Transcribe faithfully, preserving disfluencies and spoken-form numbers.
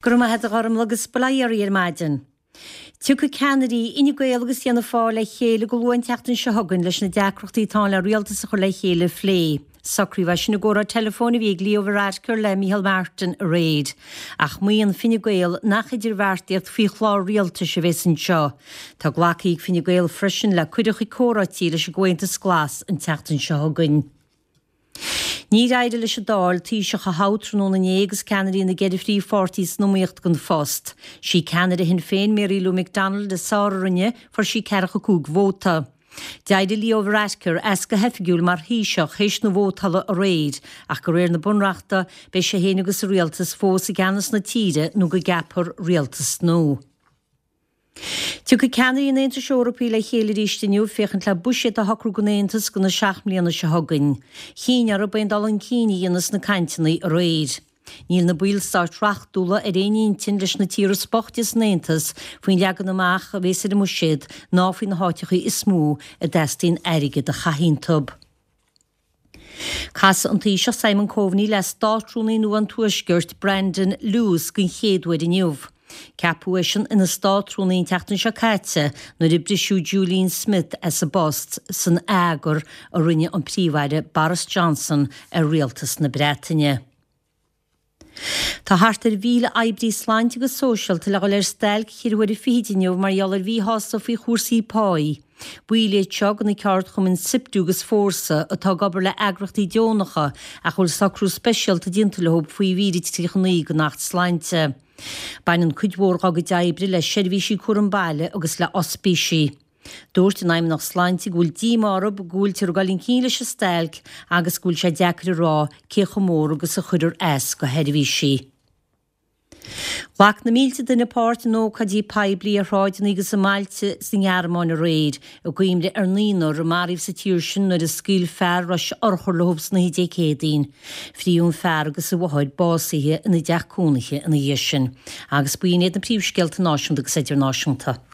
Go raibh maith agat a Ghormlaith agus bail ó Dhia oraibh ar maidin. Tiocfaidh ceannairí Fhine Gael agus Fhianna Fáil le chéile go luath an tseachtain seo chugainn leis na deacrachtaí atá ann le rialtas a chur le chéile a phlé. Socraíodh é sin i gcomhrá teileafóin a bhí ag Leo Varadkar le Micheál Martin aréir. Ach maíonn Fine Gael nach idirbheartaíocht faoi chlár rialtais a bheas anseo. Tá glactha ag Fine Gael freisin le cuireadh chuig comhráití leis an gComhaontas Glas an tseachtain seo chugainn. Níor éirigh leis an Dáil Taoiseach a thoghadh tráthnóna inné agus ceannairí na gceithre phríomhpháirtí san iomaíocht don phost. Sí ceannaire Shinn Féin Mary Lou McDonald is fearr a rinne, fuair sí ceathracha cúig vóta. D'éirigh Leo Varadkar as go hoifigiúil mar Thaoiseach théis na vótála aréir, ach de réir na bunreachta beidh sé féin agus a rialtas fós i gceannas na tíre nó go gceapfar rialtas nua. Tiocfaidh ceannairí an Aontais Eorpaigh le chéile arís inniu féachaint le buiséad a shocrú don Aontas do na seacht mbliana seo chugainn. Chinn orthu aon dul chun cinn a dhéanamh sna cainteanna aréir. Níl na ballstáit reachtúla ar aon intinn leis na tíortha is boichte san Aontas faoin leagan amach a bheas ar an mbuiséad ná faoi na háiteacha is mó a dteastaíonn airgead a chaitheamh iontu. Casfaidh an Taoiseach Simon Coveney le Státrúnaí nua an Tuaiscirt Brandon Lewis den chéad uair inniu. Ceapadh eisean ina Státrúnaí an tseachtain seo caite nuair a briseadh Julian Smith as an bpost san eagar a rinne an Príomh-Aire Boris Johnson ar rialtas na Breataine. Tá thart ar mhíle oibrí sláinte agus sóisialta le dhul ar stailc cheithre huaire fichid inniu mar gheall ar mhíshásamh faoi chúrsaí páí. Baill iad seo de na ceardchumainn SIPTU agus Fórsa atá ag obair le eagraíochtaí deonacha ach a bhfuil socrú speisialta déanta leo faoi mhír a tríocha naoi den Acht Sláinte. Baineann cuid mhór dá gcuid oibre le seirbhísí cúram baile agus le ospísí. Dúirt an Fheidhmeannacht Sláinte go bhfuil díomá orthu go bhfuiltear ag dul chun cinn leis an stailc agus go bhfuil sé deacair a rá cé chomh mór agus a chuirfear as do sheirbhísí. Ghlac na mílte duine páirt in ócáidí poiblí ar shráideanna agus i mbailte sa nGearmáin aréir, i gcuimhne ar naonúr a maraíodh sa tír sin nuair a scaoil fear rois urchar leo san oíche Dé Céadaoin. Fritheadh an fear agus a mháthair básaithe ina dteach cónaithe ina dhiaidh sin. Agus b'in iad na príomhscéalta náisiúnta agus idirnáisiúnta.